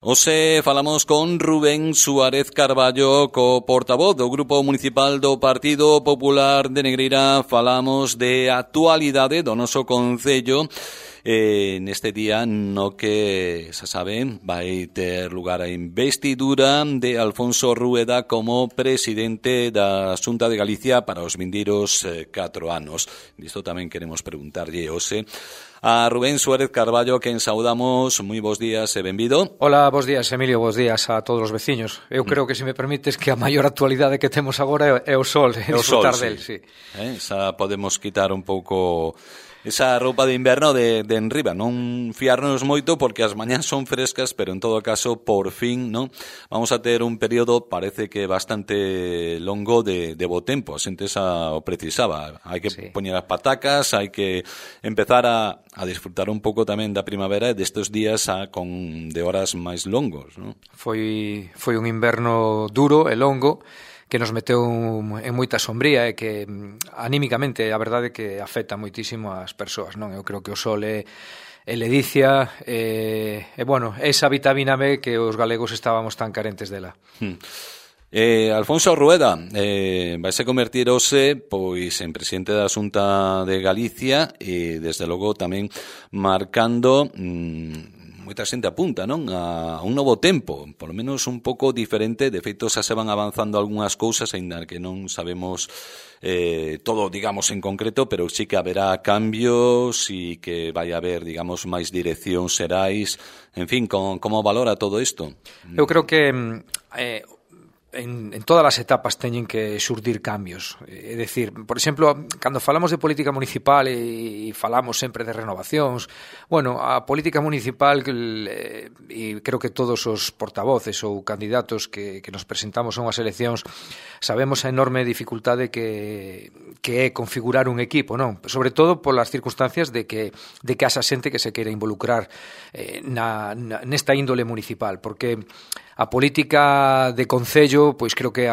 Hoxe falamos con Rubén Suárez Carballo, co portavoz do Grupo Municipal do Partido Popular de Negreira. Falamos de actualidade do noso concello neste día no que, xa saben, vai ter lugar a investidura de Alfonso Rueda como presidente da Xunta de Galicia para os vindeiros 4 anos. Disto tamén queremos preguntarlle hoxe a Rubén Suárez Carballo, a quen saudamos. Moi bons días e benvido. Hola, bons días, Emilio, bons días a todos os veciños. Eu creo que, se me permites, que a maior actualidade que temos agora é o sol, disfrutar del, sí. Xa podemos quitar un pouco esa roupa de inverno de enriba, non fiarnos moito porque as mañás son frescas, pero en todo caso, por fin, non, vamos a ter un período, parece que bastante longo de bo tempo. A xente xa o precisaba. Hai que poñer as patacas, hai que empezar a disfrutar un pouco tamén da primavera e destes días de horas máis longos, non? Foi un inverno duro e longo, que nos meteu en moita sombría e que anímicamente a verdade que afecta moitísimo ás persoas, non? Eu creo que o sol é ledicia e bueno, esa vitamina B que os galegos estábamos tan carentes dela. Alfonso Rueda vaise convertir hoxe pois en presidente da Xunta de Galicia e desde logo tamén marcando moita xente apunta, non, a un novo tempo, polo menos un pouco diferente. De feito, xa se van avanzando algunhas cousas, aínda que non sabemos todo, digamos, en concreto, pero sí que haberá cambios e que vai haber, digamos, máis direccións xerais. En fin, como valora todo isto? Eu creo que en todas as etapas teñen que xurdir cambios. É dicir, por exemplo, cando falamos de política municipal e falamos sempre de renovacións, bueno, a política municipal, e creo que todos os portavoces ou candidatos que nos presentamos a unhas eleccións sabemos a enorme dificultade que é configurar un equipo, non? Sobre todo polas circunstancias de que haxa xente que se queira involucrar nesta índole municipal, porque a política de concello, pois creo que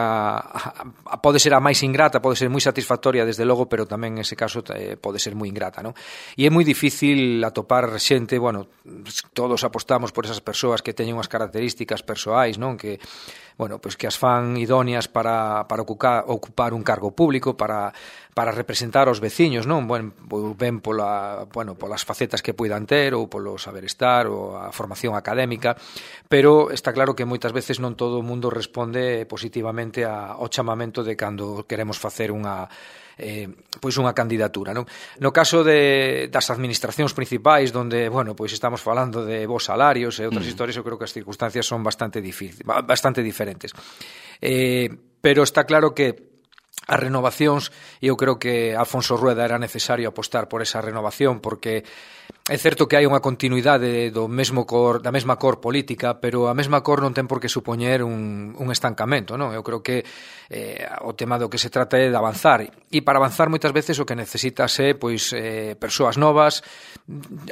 pode ser a máis ingrata, pode ser moi satisfactoria desde logo, pero tamén en ese caso pode ser moi ingrata, non? E é moi difícil atopar xente, bueno, todos apostamos por esas persoas que teñen unhas características persoais, non? Que, bueno, pois que as fan idóneas para ocupar un cargo público, para representar aos veciños, non? Ben polas facetas que poidan ter ou polo saber estar ou a formación académica, pero está claro que moitas veces non todo o mundo responde positivamente ao chamamento de cando queremos facer unha candidatura, non? No caso das administracións principais, onde, bueno, pois estamos falando de bons salarios e outras historias, eu creo que as circunstancias son bastante diferentes. Pero está claro que as renovacións, eu creo que Alfonso Rueda era necesario apostar por esa renovación, porque é certo que hai unha continuidade da mesma cor política, pero a mesma cor non ten por que supoñer un estancamento, non? Eu creo que o tema do que se trata é de avanzar, e para avanzar moitas veces o que necesitas é persoas novas,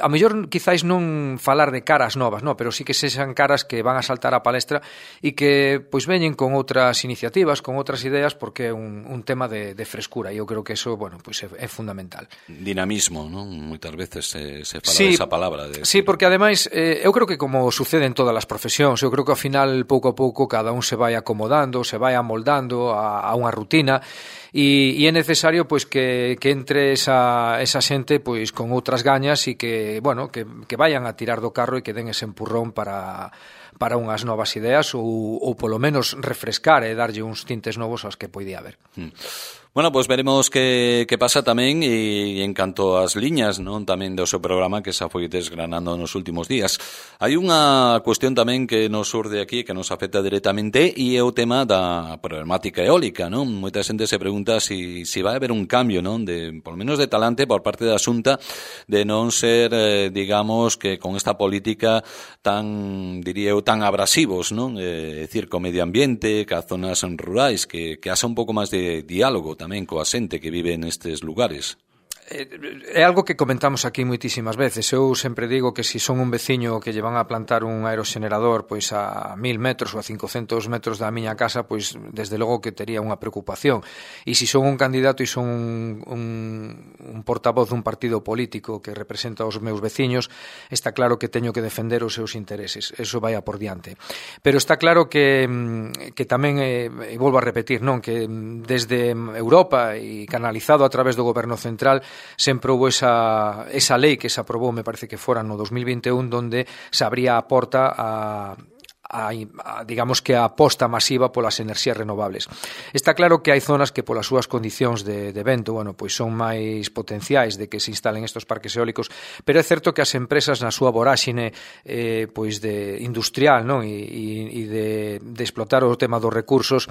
a mellor quizáis non falar de caras novas, non? Pero sí que sexan caras que van a saltar á palestra e que pois veñen con outras iniciativas, con outras ideas, porque é un tema de frescura, e eu creo que eso, bueno, pois é fundamental. Dinamismo, non? Moitas veces se fala de esa palabra. Sí, porque ademais eu creo que, como sucede en todas as profesións, eu creo que ao final, pouco a pouco, cada un se vai acomodando, se vai amoldando a unha rutina, e é necesario pois que entre esa xente pois con outras gañas e que, bueno, que vayan a tirar do carro e que den ese empurrón para unhas novas ideas ou polo menos refrescar e darlle uns tintes novos aos que poidía haber. Bueno, pois veremos que pasa tamén e en canto ás liñas, non, tamén do seu programa que xa foi desgranando nos últimos días. Hai unha cuestión tamén que nos surde aquí, que nos afecta directamente, e é o tema da problemática eólica, non? Moita xente se pregunta si vai haber un cambio, non, polo menos de talante por parte da Xunta, de non ser, digamos, que con esta política tan, diría eu, tan abrasivos, non? É dicir, co medio ambiente, ca zonas rurais, que haxa un pouco máis de diálogo tamén coa xente que vive nestes lugares. É algo que comentamos aquí moitísimas veces. Eu sempre digo que se son un veciño que lle van a plantar un aeroxenerador pois a 1000 metros ou a 500 metros da miña casa, pois desde logo que tería unha preocupación. E se son un candidato e son un portavoz dun partido político que representa os meus veciños, está claro que teño que defender os seus intereses. Eso vai a por diante. Pero está claro que tamén, e volvo a repetir, non, que desde Europa e canalizado a través do Goberno Central sempre houve esa lei que se aprobou, me parece que fora no 2021, donde se abría a porta a digamos que a aposta masiva polas enerxías renovables. Está claro que hai zonas que polas súas condicións de vento, bueno, pois son máis potenciais de que se instalen estos parques eólicos, pero é certo que as empresas na súa voráxine pois de industrial, non, e de explotar o tema dos recursos,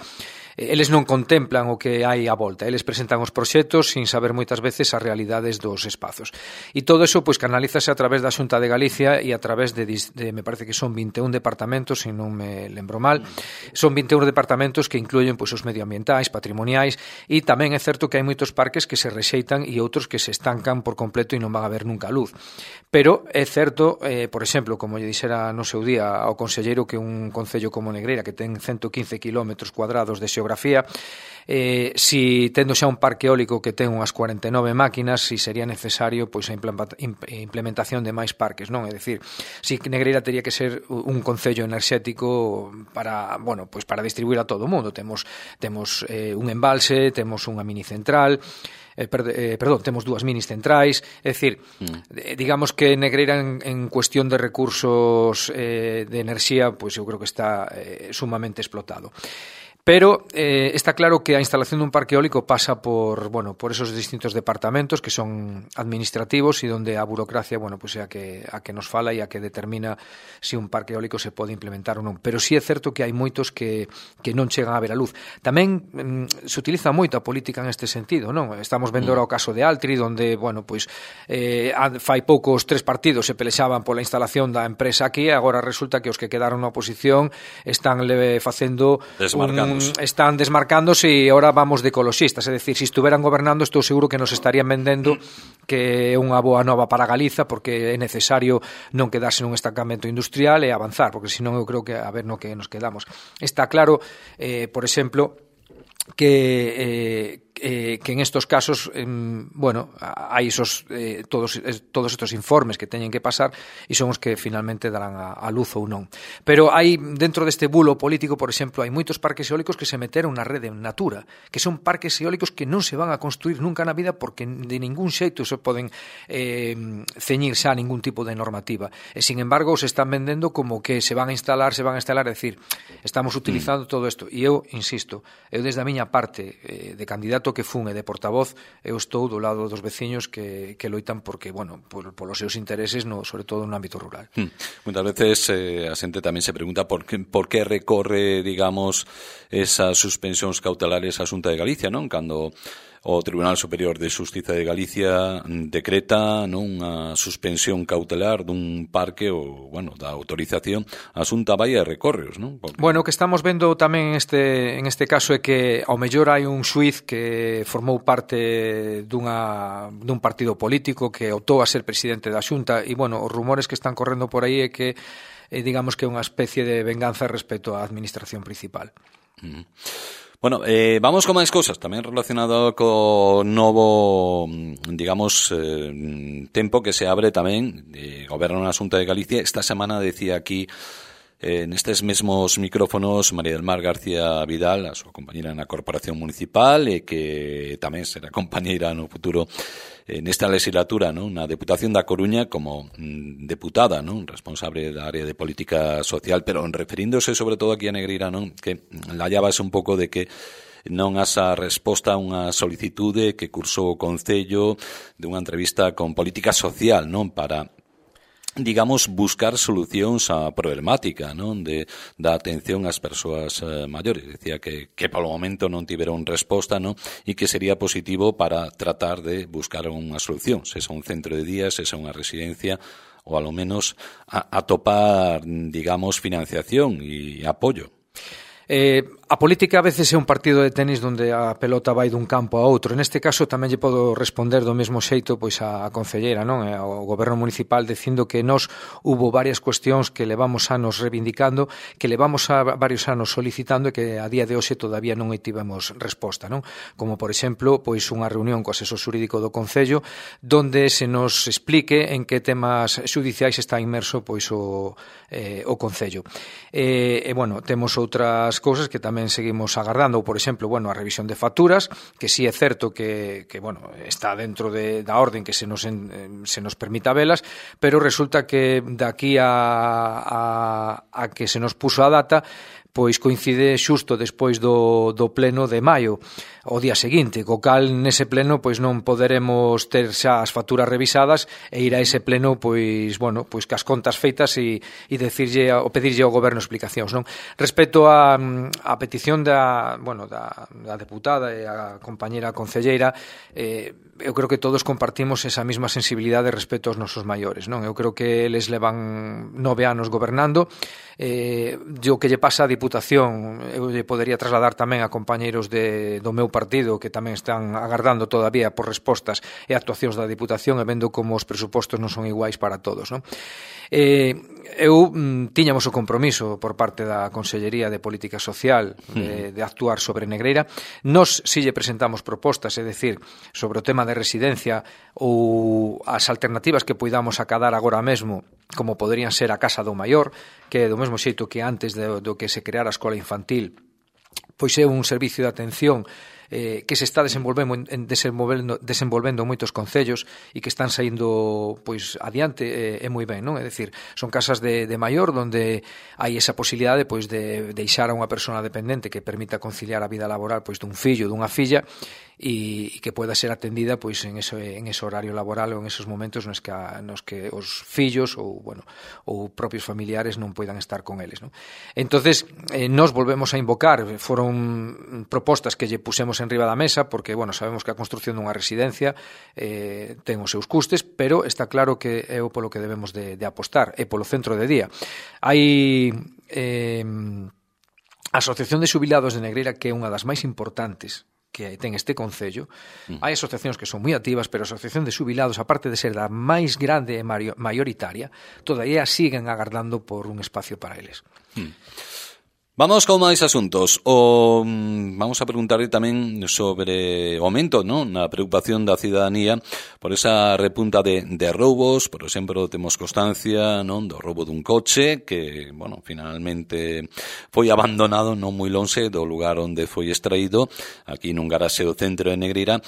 eles non contemplan o que hai á volta, eles presentan os proxectos sin saber moitas veces as realidades dos espazos. E todo eso pois canalízase a través da Xunta de Galicia e a través de me parece que son 21 departamentos, se non me lembro mal, son 21 departamentos que incluyen pois os medioambientais, patrimoniais, e tamén é certo que hai moitos parques que se rexeitan e outros que se estancan por completo e non van a ver nunca a luz. Pero é certo, por exemplo, como lle dixera no seu día ao conselleiro, que un concello como Negreira, que ten 115 km cuadrados de xeografía, si tendo xa un parque eólico que ten unhas 49 máquinas, si sería necesario pois a implementación de máis parques, non? É dicir, si Negreira tería que ser un concello enerxético para, bueno, pois para distribuir a todo o mundo. Temos un embalse, temos unha mini central, temos dúas minis centrais, é dicir, digamos que Negreira en cuestión de recursos de enerxía, pois eu creo que está sumamente explotado. Pero está claro que a instalación dun parque eólico pasa por esos distintos departamentos que son administrativos e onde a burocracia, pois é a que nos fala e a que determina se un parque eólico se pode implementar ou non. Pero sí é certo que hai moitos que non chegan a ver a luz. Tamén se utiliza moito a política neste sentido, non? Estamos vendo ahora o caso de Altri, onde, fai pouco os tres partidos se pelexaban pola instalación da empresa aquí, e agora resulta que os que quedaron na oposición están facendo están desmarcándose e ahora vamos de ecoloxistas, é dicir, se estuveran gobernando estou seguro que nos estarían vendendo que é unha boa nova para Galiza, porque é necesario non quedarse nun estancamento industrial e avanzar, porque senón eu creo que a ver no que nos quedamos. Está claro, por exemplo, que en estos casos hai todos estos informes que teñen que pasar e son os que finalmente darán a luz ou non. Pero hai dentro deste bulo político, por exemplo, hai moitos parques eólicos que se meteron na rede Natura, que son parques eólicos que non se van a construir nunca na vida porque de ningún xeito se poden ceñir xa a ningún tipo de normativa. E, sin embargo, se están vendendo como que se van a instalar, é dicir, estamos utilizando todo isto. E eu, insisto, eu desde a miña parte de candidato que fun e de portavoz, eu estou do lado dos veciños que loitan porque, polos seus intereses, sobre todo no ámbito rural. Muitas veces a xente tamén se pregunta por que recorre, digamos, esas suspensións cautelares a Xunta de Galicia, non? Cando o Tribunal Superior de Xustiza de Galicia decreta unha suspensión cautelar dun parque ou, da autorización, a Xunta vai e recorreos, non? Porque... O que estamos vendo tamén en este caso é que ao mellor hai un xuiz que formou parte dun partido político que optou a ser presidente da Xunta e, os rumores que están correndo por aí é que digamos que é unha especie de venganza respecto á administración principal. Vamos con máis cousas, tamén relacionado co novo, digamos, tempo que se abre tamén de Goberno na Xunta de Galicia. Esta semana decía aquí, nestes mesmos micrófonos, María del Mar García Vidal, a súa compañera na Corporación Municipal, e que tamén será compañeira no futuro nesta legislatura, non? Na Deputación da Coruña como deputada, non? Responsable da área de política social, pero referíndose sobre todo aquí a Negreira, non? Que la hallabas un pouco de que non asa resposta a unha solicitude que cursou o Concello de unha entrevista con Política Social, non? Para, digamos, buscar solucións á problemática, non? Da atención ás persoas maiores. Decía que polo momento non tiveron resposta, non? E que sería positivo para tratar de buscar unha solución, se é un centro de día, se é unha residencia, ou ao menos atopar, digamos, financiación e apoio. A política a veces é un partido de tenis onde a pelota vai dun campo a outro. Neste caso tamén lle podo responder do mesmo xeito pois a concelleira, non? Ao goberno municipal dicindo que nós hubo varias cuestións que levamos anos reivindicando, que levamos a varios anos solicitando e que a día de hoxe todavía non tivemos resposta, non? Como por exemplo, pois unha reunión co asesor xurídico do Concello donde se nos explique en que temas xudiciais está inmerso pois o Concello. Bueno, temos outras cousas que tamén seguimos agardando, ou por exemplo, bueno, a revisión de facturas, que sí é certo que bueno, está dentro da orden que se nos permita velas, pero resulta que daqui a que se nos puso a data, pois coincide xusto despois do pleno de maio, o día seguinte, co cal nese pleno pois non poderemos ter xa as facturas revisadas e ir a ese pleno pois, bueno, pois cas contas feitas e decirlle ou pedirlle ao goberno explicacións, non? Respecto a petición da deputada e a compañera concelleira, eu creo que todos compartimos esa mesma sensibilidade respecto aos nosos maiores, non? Eu creo que eles levan 9 anos gobernando, o que lle pasa a Diputación eu lle podería trasladar tamén a compañeiros do meu partido que tamén están agardando todavía por respostas e actuacións da Diputación e vendo como os presupostos non son iguais para todos, non? Tiñamos o compromiso por parte da Consellería de Política Social de actuar sobre Negreira. Nos si lle presentamos propostas, é dicir, sobre o tema de residencia ou as alternativas que poidamos acadar agora mesmo, como poderían ser a Casa do Maior, que do mesmo xeito que antes do que se creara a escola infantil, pois é un servicio de atención que se está desenvolvendo en moitos concellos e que están saindo pois adiante e moi ben, non? É dicir, son casas de maior onde hai esa posibilidade pois de deixar a unha persona dependente que permita conciliar a vida laboral pois dun fillo, dunha filla e que poida ser atendida pois en ese horario laboral ou en esos momentos nos que os fillos ou propios familiares non poidan estar con eles, non? Entonces, nos volvemos a invocar, foron propostas que lle pusemos en riba da mesa porque, sabemos que a construción dunha residencia ten os seus custes, pero está claro que é o polo que debemos de apostar, é polo centro de día. Hai a Asociación de Xubilados de Negreira, que é unha das máis importantes que ten este concello. Hai asociacións que son moi activas, pero a Asociación de Xubilados, aparte de ser da máis grande e maioritaria, todavía siguen agardando por un espacio para eles. Vamos con máis asuntos. Vamos a preguntarle tamén sobre o aumento, non, na preocupación da cidadanía por esa repunta de roubos. Por exemplo, temos constancia, non, do roubo dun coche que, finalmente foi abandonado non moi lonxe do lugar onde foi extraído, aquí nun garaxe do centro de Negreira.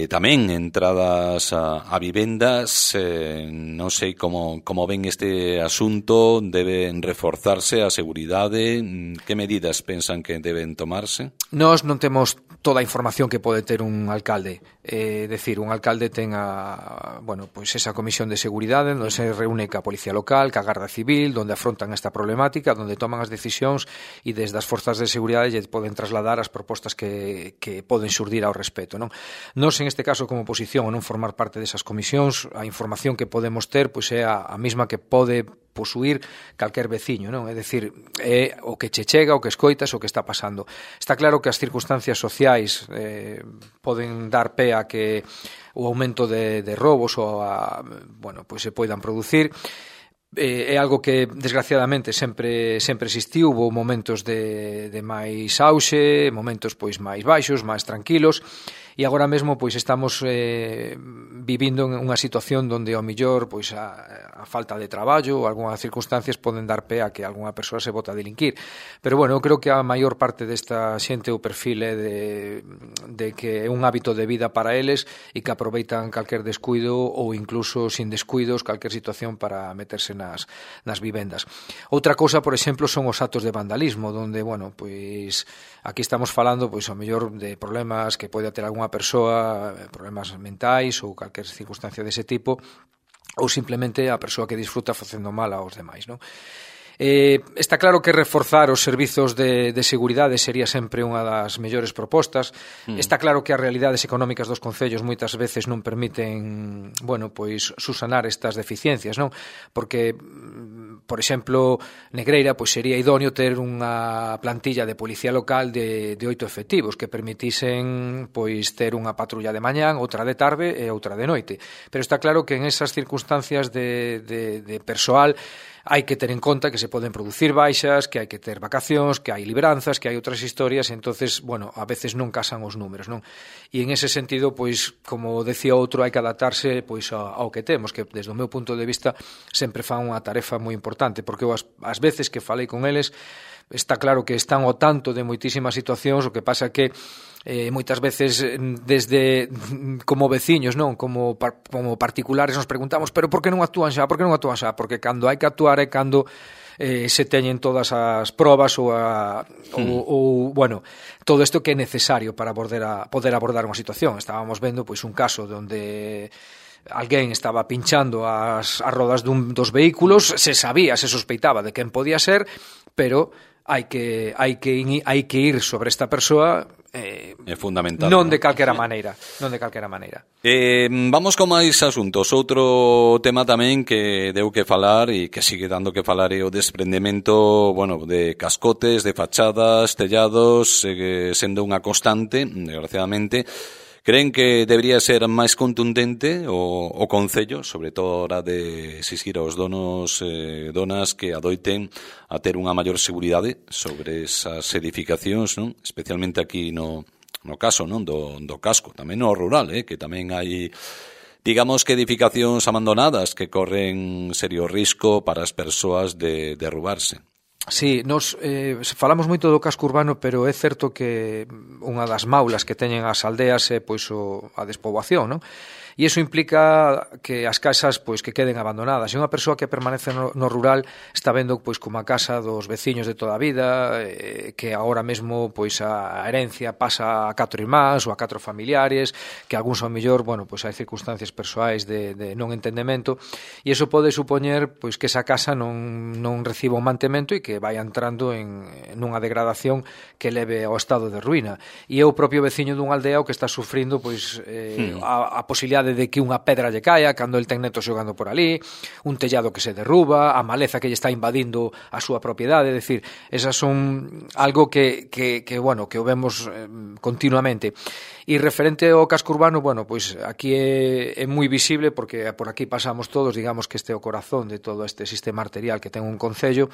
Tamén entradas a vivendas, non sei como ven este asunto. Deben reforzarse a seguridade. Que medidas pensan que deben tomarse? Nós non temos toda a información que pode ter un alcalde. Decir, un alcalde ten esa comisión de seguridade onde se reúne ca Policía Local, ca Garda Civil, onde afrontan esta problemática, onde toman as decisións e desde as forzas de seguridade lle poden trasladar as propostas que poden xurdir ao respecto, non? Nós, en este caso, como oposición, a non formar parte desas comisións, a información que podemos ter pois é a mesma que pode posuir calquer veciño, non? É dicir, é o que che chega, o que escoitas, o que está pasando. Está claro que as circunstancias sociais poden dar pé a que o aumento de roubos se poidan producir. É algo que desgraciadamente sempre existiu. Houve momentos de máis auxe, momentos pois máis baixos, máis tranquilos, e agora mesmo pois estamos vivindo en unha situación onde ao mellor pois a falta de traballo ou algunhas circunstancias poden dar pé a que algunha persoa se bota a delinquir. Pero eu creo que a maior parte desta xente o perfil é de que é un hábito de vida para eles e que aproveitan calquer descuido ou incluso sin descuidos calquer situación para meterse nas vivendas. Outra cousa, por exemplo, son os actos de vandalismo, onde, pois aquí estamos falando pois ao mellor de problemas que pode ter algunha persoa, problemas mentais ou calquer circunstancia dese tipo, ou simplemente a persoa que disfruta facendo mal aos demais, non? Está claro que reforzar os servizos de seguridade sería sempre unha das mellores propostas. Está claro que as realidades económicas dos concellos moitas veces non permiten, bueno, pois susanar estas deficiencias, non? Porque, por exemplo, Negreira, pois sería idóneo ter unha plantilla de policía local de 8 efectivos que permitisen pois ter unha patrulla de mañán, outra de tarde e outra de noite. Pero está claro que en esas circunstancias de persoal hai que ter en conta que se poden producir baixas, que hai que ter vacacións, que hai libranzas, que hai outras historias, entonces, bueno, a veces non casan os números, non? E en ese sentido, pois, como decía outro, hai que adaptarse pois ao que temos, que desde o meu punto de vista sempre fan unha tarefa moi importante, porque eu as veces que falei con eles, está claro que están ao tanto de moitísimas situacións, o que pasa que moitas veces desde como veciños, non, como particulares nos preguntamos, pero por que non actúan xa? Por que non actúan xa? Porque cando hai que actuar é cando se teñen todas as probas ou bueno, todo isto que é necesario para poder abordar unha situación. Estábamos vendo pois un caso onde alguén estaba pinchando as rodas dos vehículos, se sabía, se sospeitaba de quen podía ser, pero hai que ir sobre esta persoa é fundamental. Non de calquera maneira. Vamos con máis asuntos. Outro tema tamén que deu que falar e que sigue dando que falar é o desprendemento, bueno, de cascotes, de fachadas, tellados, sendo unha constante, desgraciadamente. Creen que debería ser máis contundente o Concello, sobre todo a hora de exigir aos donos e donas que adoiten a ter unha maior seguridade sobre esas edificacións, non? Especialmente aquí no caso, non, do casco, tamén no rural, que tamén hai, digamos que edificacións abandonadas que corren serio risco para as persoas de derrubarse. Sí, nos falamos moito do casco urbano, pero é certo que unha das maulas que teñen as aldeas é pois a despoboación, non? E iso implica que as casas pois que queden abandonadas. E unha persoa que permanece no rural está vendo pois como a casa dos veciños de toda a vida, que agora mesmo pois a herencia pasa a 4 irmáns ou a 4 familiares, que algúns ao mellor, bueno, pois hai circunstancias persoais de non entendemento, e iso pode supoñer pois que esa casa non reciba un mantemento e que vai entrando nunha degradación que leve ao estado de ruína. E é o propio veciño dunha aldea o que está sufrindo pois a posibilidade de que unha pedra lle caia cando el ten netos xogando por ali, un tellado que se derruba, a maleza que lle está invadindo a súa propiedade, é dicir, esas son algo que bueno, que o vemos continuamente. E referente ao casco urbano, bueno, pois aquí é moi visible porque por aquí pasamos todos, digamos que este é o corazón de todo este sistema arterial que ten un concello.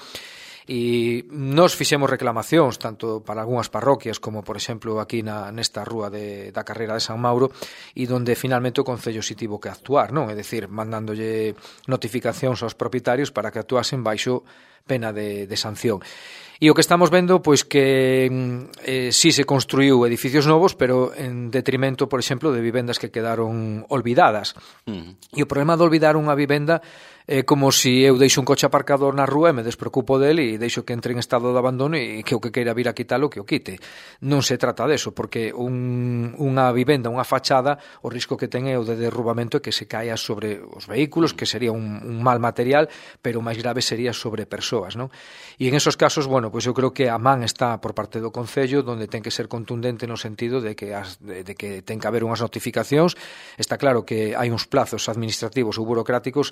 E nos fixemos reclamacións tanto para algunhas parroquias como, por exemplo, aquí nesta rúa da Carreira de San Mauro, e donde finalmente o Concello si tivo que actuar, non? É dicir, mandándolle notificacións aos propietarios para que actuasen baixo pena de sanción. E o que estamos vendo, pois que sí se construiu edificios novos, pero en detrimento, por exemplo, de vivendas que quedaron olvidadas. E o problema de olvidar unha vivenda é como se eu deixo un coche aparcado na rúa e me despreocupo del e deixo que entre en estado de abandono e que o que queira vir a quitalo que o quite. Non se trata deso, porque unha vivenda, unha fachada, o risco que ten é o de derrubamento e que se caia sobre os vehículos, que sería un mal material, pero o máis grave sería sobre persoas, non? E en esos casos, bueno, pois eu creo que a man está por parte do Concello, donde ten que ser contundente no sentido de que ten que haber unhas notificacións. Está claro que hai uns plazos administrativos ou burocráticos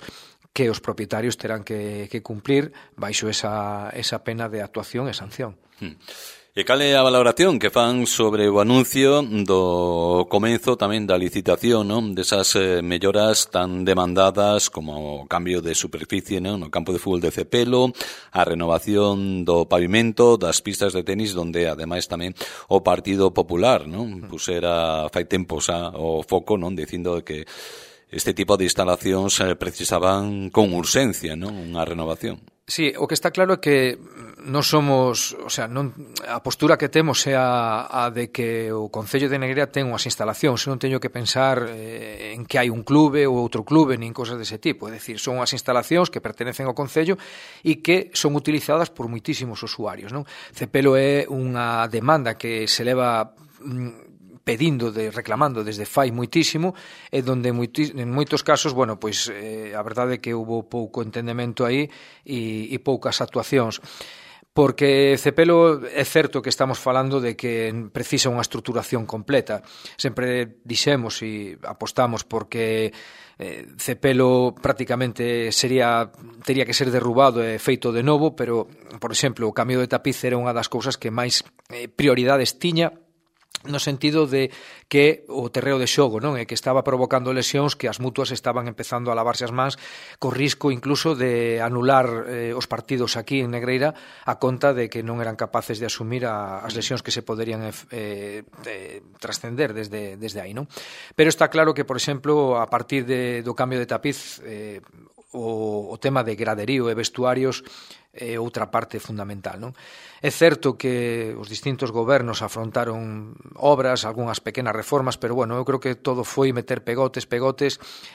que os propietarios terán que cumplir baixo esa pena de actuación e sanción. E cal é a valoración que fan sobre o anuncio do comenzo tamén da licitación, non? Desas melloras tan demandadas como o cambio de superficie, non? No campo de fútbol de Cepelo, a renovación do pavimento, das pistas de tenis, donde ademais tamén o Partido Popular, non? Pusera fai tempo xa o foco, non? Dicindo que este tipo de instalacións precisaban con urxencia, non? Unha renovación. Sí, o que está claro é que non somos, o sea, a postura que temos é a de que o Concello de Negreira ten unhas instalacións, non teño que pensar en que hai un clube ou outro clube, nin cosas dese tipo, é dicir, son unhas instalacións que pertenecen ao Concello e que son utilizadas por moitísimos usuarios, non? Cepelo é unha demanda que se leva reclamando desde fai moitísimo, e donde en moitos casos, bueno, pois a verdade é que houve pouco entendemento aí e poucas actuacións. Porque Cepelo é certo que estamos falando de que precisa unha estruturación completa. Sempre dixemos e apostamos porque Cepelo prácticamente tería que ser derrubado e feito de novo, pero, por exemplo, o cambio de tapiz era unha das cousas que máis prioridades tiña, no sentido de que o terreo de xogo, non, é que estaba provocando lesións que as mutuas estaban empezando a lavarse as mans, co risco incluso de anular os partidos aquí en Negreira a conta de que non eran capaces de asumir as lesións que se poderían trascender desde aí, non? Pero está claro que, por exemplo, a partir do cambio de tapiz, o tema de graderío e vestuarios é outra parte fundamental, non? É certo que os distintos gobernos afrontaron obras, algunhas pequenas reformas, pero, bueno, eu creo que todo foi meter pegotes,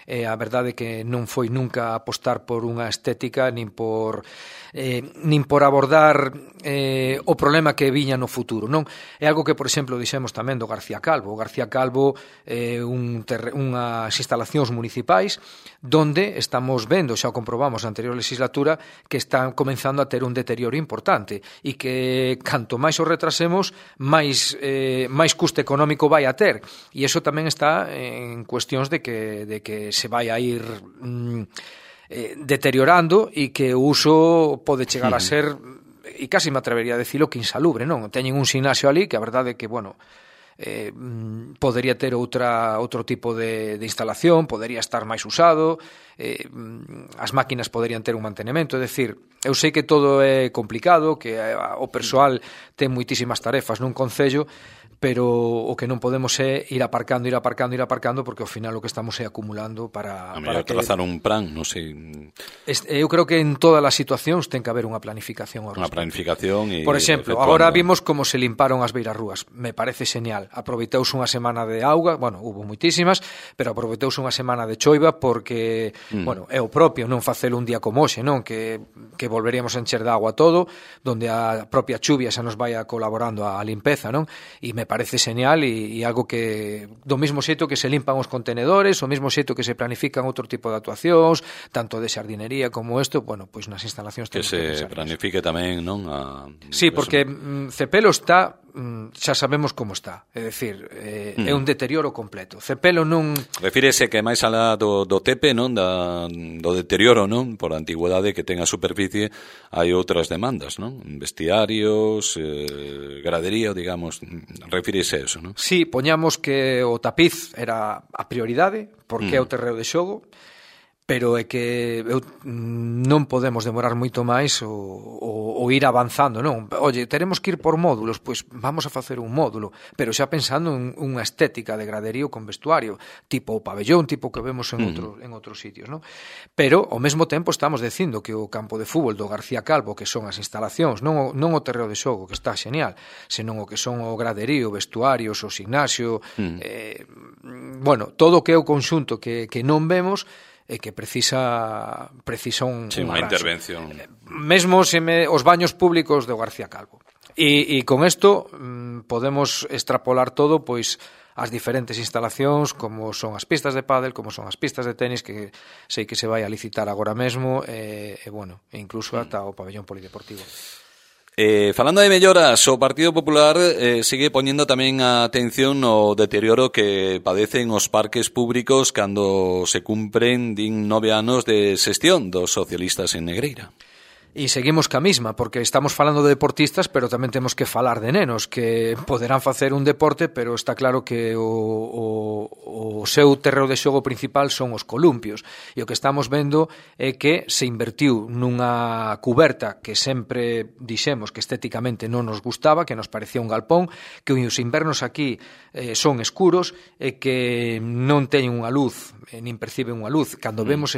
e a verdade é que non foi nunca apostar por unha estética nin por abordar o problema que viña no futuro, non? É algo que, por exemplo, dixemos tamén do García Calvo. O García Calvo é unhas instalacións municipais donde estamos vendo, xa o comprobamos na anterior legislatura, que están comenzando a ter un deterioro importante e que canto máis o retrasemos, máis custo económico vai a ter, e iso tamén está en cuestións de que se vai a ir deteriorando e que o uso pode chegar a ser, e casi me atrevería a decirlo, que insalubre, non? Teñen un gimnasio ali que a verdade é que, bueno, podería ter outro tipo de instalación, podería estar máis usado, as máquinas poderían ter un mantenimento, é dicir, eu sei que todo é complicado, que o persoal ten moitísimas tarefas nun concello, pero o que non podemos é ir aparcando, porque ao final o que estamos é acumulando para trazar un plan, non sei. Eu creo que en todas as situacións ten que haber unha planificación ao respecto. Unha planificación e... Por exemplo, agora vimos como se limparon as beirarrúas. Me parece genial. Aproveitouse unha semana de auga, bueno, hubo moitísimas, pero aproveitouse unha semana de choiva porque, bueno, é o propio non facelo un día como hoxe, non? Que volveríamos a encher de agua todo, donde a propia chuvia xa nos vai colaborando a limpeza, non? E me parece genial e algo que do mesmo xeito que se limpan os contenedores, o mesmo xeito que se planifican outro tipo de actuacións, tanto de xardinería como isto, bueno, pois nas instalacións que se planifique tamén, non? Sí, porque Cepelo está, xa sabemos como está, é dicir, é un deterioro completo. Cepelo non... Refírese que máis alá do tepe, non? Do deterioro, non? Por a antigüedade que ten a superficie, hai outras demandas, non? Vestiarios, gradería, digamos, refírese a eso, non? Sí, poñamos que o tapiz era a prioridade, porque é o terreo de xogo, pero é que non podemos demorar moito máis o ir avanzando, non? Oye, teremos que ir por módulos, pois vamos a facer un módulo, pero xa pensando en unha estética de graderío con vestuario, tipo o pabellón, tipo que vemos en outros sitios, non? Pero, ao mesmo tempo, estamos dicindo que o campo de fútbol do García Calvo, que son as instalacións, non o terreo de xogo, que está genial, senón o que son o graderío, vestuarios, o gimnasio, bueno, todo o que é o conxunto que non vemos, e que precisa unha intervención. Mesmo os baños públicos do García Calvo. E con isto podemos extrapolar todo pois as diferentes instalacións, como son as pistas de pádel, como son as pistas de tenis, que sei que se vai a licitar agora mesmo, e bueno, incluso ata o pabellón polideportivo. Falando de melloras, o Partido Popular sigue poñendo tamén a atención no deterioro que padecen os parques públicos cando se cumpren 9 anos de xestión dos socialistas en Negreira. E seguimos ca mesma, porque estamos falando de deportistas, pero tamén temos que falar de nenos, que poderán facer un deporte, pero está claro que o seu terreo de xogo principal son os columpios. E o que estamos vendo é que se invertiu nunha cuberta que sempre dixemos que estéticamente non nos gustaba, que nos parecía un galpón, que os invernos aquí son escuros e que non teñen unha luz, nin perciben unha luz. Cando vemos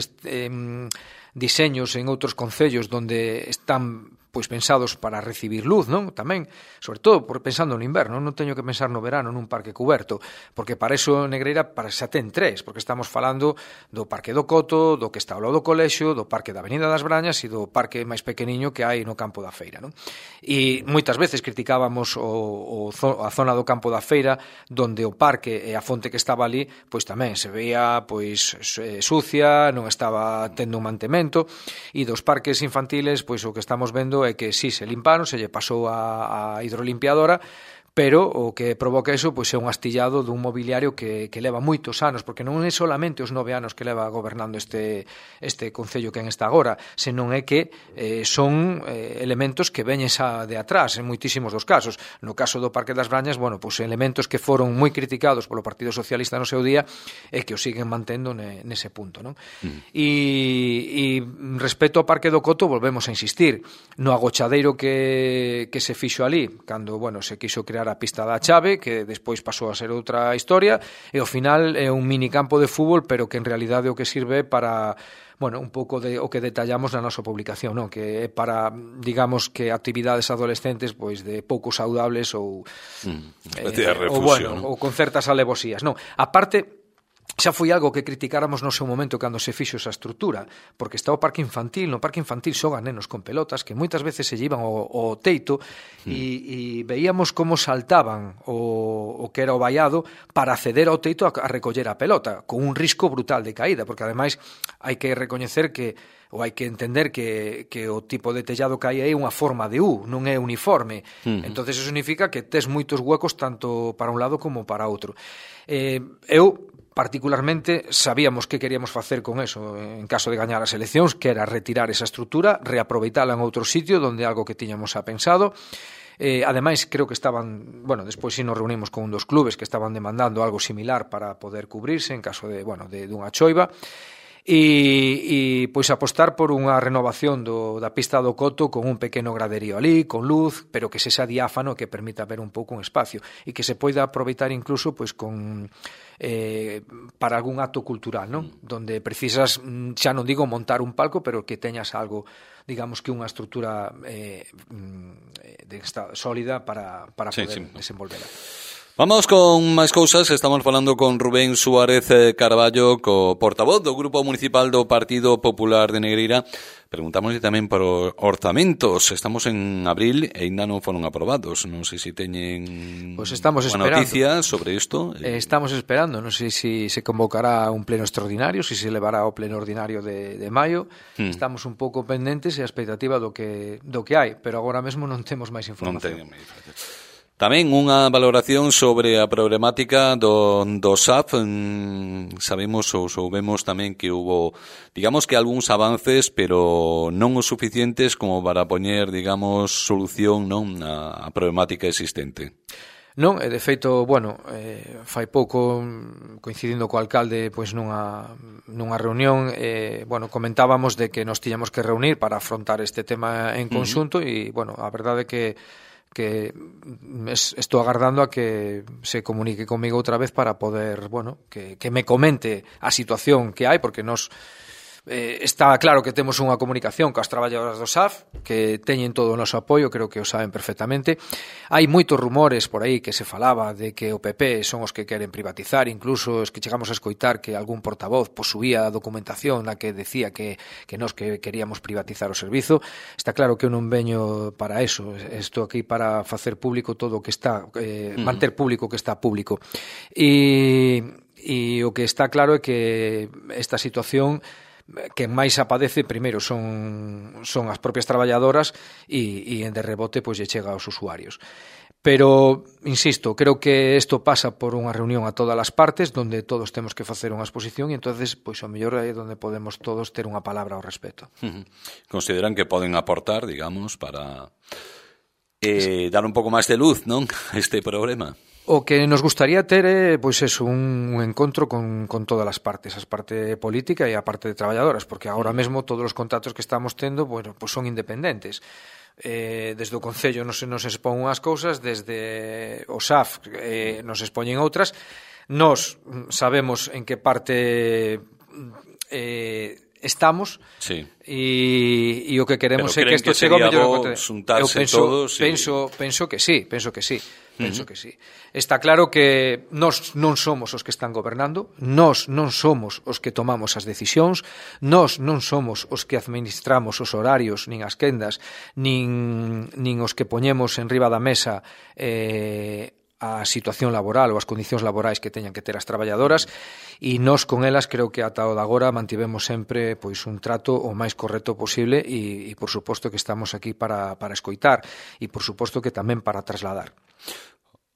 diseños en outros concellos donde están pois pensados para recibir luz, non? Tamén, sobre todo pensando no inverno, non teño que pensar no verano nun parque cuberto, porque para iso Negreira xa ten 3, porque estamos falando do Parque do Coto, do que está ao lado do colexio, do Parque da Avenida das Brañas e do parque máis pequeniño que hai no campo da Feira, non? E moitas veces criticábamos a zona do campo da Feira, donde o parque e a fonte que estaba ali, pois tamén se veía pois sucia, non estaba tendo un mantemento, e dos parques infantiles, pois o que estamos vendo é que si se limparon, se lle pasou a hidrolimpiadora, pero o que provoca iso pois é un astillado dun mobiliario que leva moitos anos, porque non é solamente os 9 anos que leva gobernando este concello que en está agora, senón é que son elementos que veñen xa de atrás, en moitísimos dos casos. No caso do Parque das Brañas, bueno, pois elementos que foron moi criticados polo Partido Socialista no seu día e que o siguen mantendo nese punto, non? E respecto ao Parque do Coto, volvemos a insistir no agochadeiro que se fixo ali, cando, bueno, se quixo crear a pista da Chave, que despois pasou a ser outra historia, e ao final é un minicampo de fútbol, pero que en realidade o que sirve para, bueno, un pouco de o que detallamos na nosa publicación, non? Que é para, digamos, que actividades adolescentes pois de pouco saudables ou con certas alevosías, non? A parte, xa foi algo que criticáramos no seu momento cando se fixo esa estrutura, porque está o parque infantil, no parque infantil xogan nenos con pelotas que moitas veces se llevan ao teito e veíamos como saltaban o que era o vallado para acceder ao teito a recoller a pelota, con un risco brutal de caída, porque ademais hai que recoñecer que ou hai que entender que o tipo de tellado que hai é unha forma de U, non é uniforme. Entonces eso significa que tes moitos huecos tanto para un lado como para outro. Eu particularmente sabíamos que queríamos facer con eso en caso de gañar as eleccións, que era retirar esa estrutura, reaproveitala en outro sitio donde algo que tiñamos pensado. Ademais, creo que estaban, bueno, despois si nos reunimos con un dos clubes que estaban demandando algo similar para poder cubrirse en caso de, bueno, de unha choiva. E pois apostar por unha renovación da pista do Coto con un pequeno graderío ali, con luz, pero que sexa diáfano, que permita ver un pouco un espacio e que se poida aproveitar incluso pois con para algún acto cultural, non? Donde precisas, xa non digo montar un palco, pero que teñas algo, digamos que unha estrutura sólida para poder desenvolverla. Vamos con máis cousas, estamos falando con Rubén Suárez Carballo, co portavoz do Grupo Municipal do Partido Popular de Negreira. Preguntámoslle tamén por orzamentos, estamos en abril e ainda non foron aprobados, non sei se teñen unha noticia sobre isto. Estamos esperando, non sei se se convocará un pleno extraordinario, se se levará ao pleno ordinario de maio. Estamos un pouco pendentes e a expectativa do que hai, pero agora mesmo non temos máis información. Non teñen. Tamén unha valoración sobre a problemática do SAF. Sabemos ou soubemos tamén que hubo, digamos que algúns avances, pero non os suficientes como para poñer, digamos, solución, non, a problemática existente. Non, e de feito, bueno, fai pouco coincidindo co alcalde pois nunha reunión, bueno, comentábamos de que nos tiñamos que reunir para afrontar este tema en conxunto e, bueno, a verdade é que estou agardando a que se comunique comigo outra vez para poder, bueno, que me comente a situación que hai, porque nos está claro que temos unha comunicación coas traballadoras do SAF que teñen todo o noso apoio, creo que o saben perfectamente. Hai moitos rumores por aí que se falaba de que o PP son os que queren privatizar, incluso os que chegamos a escoitar que algún portavoz posuía a documentación na que decía que nós que queríamos privatizar o servizo. Está claro que eu non veño para eso, estou aquí para facer público todo o que está, manter público o que está público. E o que está claro é que esta situación que máis apadece primeiro son as propias traballadoras e de rebote pois lle chega aos usuarios. Pero, insisto, creo que isto pasa por unha reunión a todas as partes donde todos temos que facer unha exposición e entonces pois o mellor é onde podemos todos ter unha palabra ao respecto. Consideran que poden aportar, digamos, para dar un pouco máis de luz, non, a este problema? O que nos gustaría ter é pois eso, un encontro con todas as partes, a parte política e a parte de traballadoras, porque agora mesmo todos os contactos que estamos tendo, bueno, pois son independentes. Desde o Concello nos expón unhas cousas, desde o SAF nos expoñen outras. Nós sabemos en que parte estamos, sí. E o que queremos é que isto chegue ao mellor. Eu penso que sí. Está claro que nós non somos os que están gobernando, nós non somos os que tomamos as decisións, nós non somos os que administramos os horarios, nin as quendas, nin os que poñemos en riba da mesa a situación laboral ou as condicións laborais que teñan que ter as traballadoras, e nós con elas creo que ata o de agora mantivemos sempre pois un trato o máis correcto posible e por suposto que estamos aquí para escoitar e por suposto que tamén para trasladar.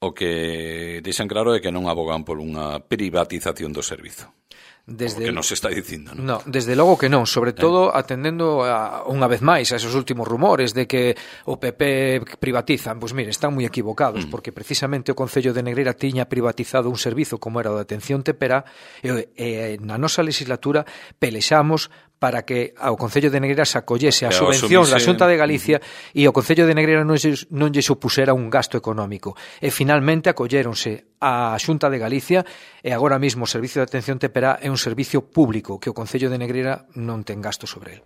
O que dixen claro é que non abogan por unha privatización do servizo. Desde o que nos está dicindo, non? No, desde logo que non, sobre todo atendendo unha vez máis a esos últimos rumores de que o PP privatizan. Pois mire, están moi equivocados, porque precisamente o Concello de Negreira tiña privatizado un servizo como era o de atención temperá e na nosa legislatura pelexamos para que ao Concello de Negreira se acollese a subvención da Xunta de Galicia e o Concello de Negreira non lle supusera un gasto económico. E finalmente acolléronse a Xunta de Galicia e agora mesmo o Servicio de Atención Temperá é un servicio público que o Concello de Negreira non ten gasto sobre el.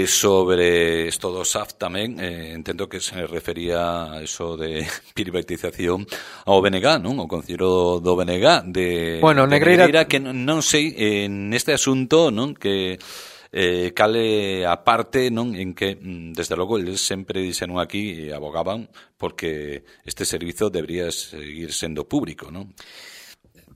Sobre isto do SAF tamén, entendo que se refería a eso de privatización ao BNG, non? O Concello do BNG de Negreira, que non sei neste asunto, non? Que cale a parte, non? En que, desde logo, eles sempre dixeron aquí e abogaban porque este servizo debería seguir sendo público, non?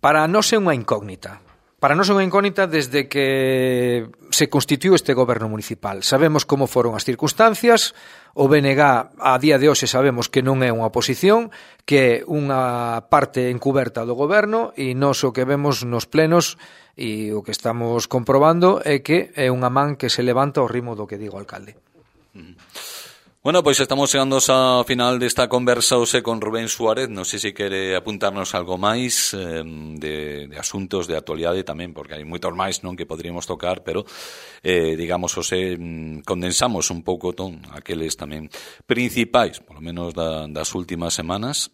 Para nós é unha incógnita. Para nós é unha incógnita desde que se constituiu este goberno municipal. Sabemos como foron as circunstancias, o BNG a día de hoxe sabemos que non é unha oposición, que é unha parte encuberta do goberno e nós o que vemos nos plenos e o que estamos comprobando é que é unha man que se levanta ao ritmo do que digo o alcalde. Bueno, pois estamos chegando ao final desta conversa hoxe con Rubén Suárez. Non sei se quere apuntarnos algo máis de asuntos de actualidade tamén, porque hai moitos máis, non, que poderíamos tocar, pero digamos, hoxe condensamos un pouco aqueles tamén principais, polo menos das últimas semanas.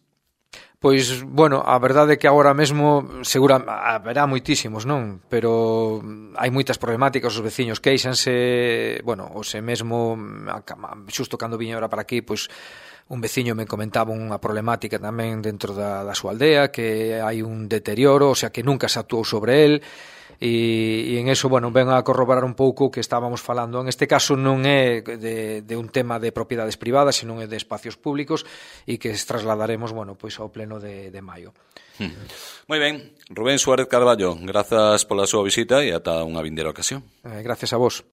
Pois, bueno, a verdade é que agora mesmo segura haberá moitísimos, non? Pero hai moitas problemáticas, os veciños queixanse, bueno, hoxe mesmo, xusto cando viña ahora para aquí, pois un veciño me comentaba unha problemática tamén dentro da súa aldea, que hai un deterioro, o sea, que nunca se actuou sobre el, e en eso, bueno, ven a corroborar un pouco o que estábamos falando. En este caso non é de un tema de propiedades privadas, sino é de espacios públicos e que trasladaremos, bueno, pois ao pleno de maio. Moi ben, Rubén Suárez Carballo, grazas pola súa visita e ata unha vindeira ocasión. Gracias a vos.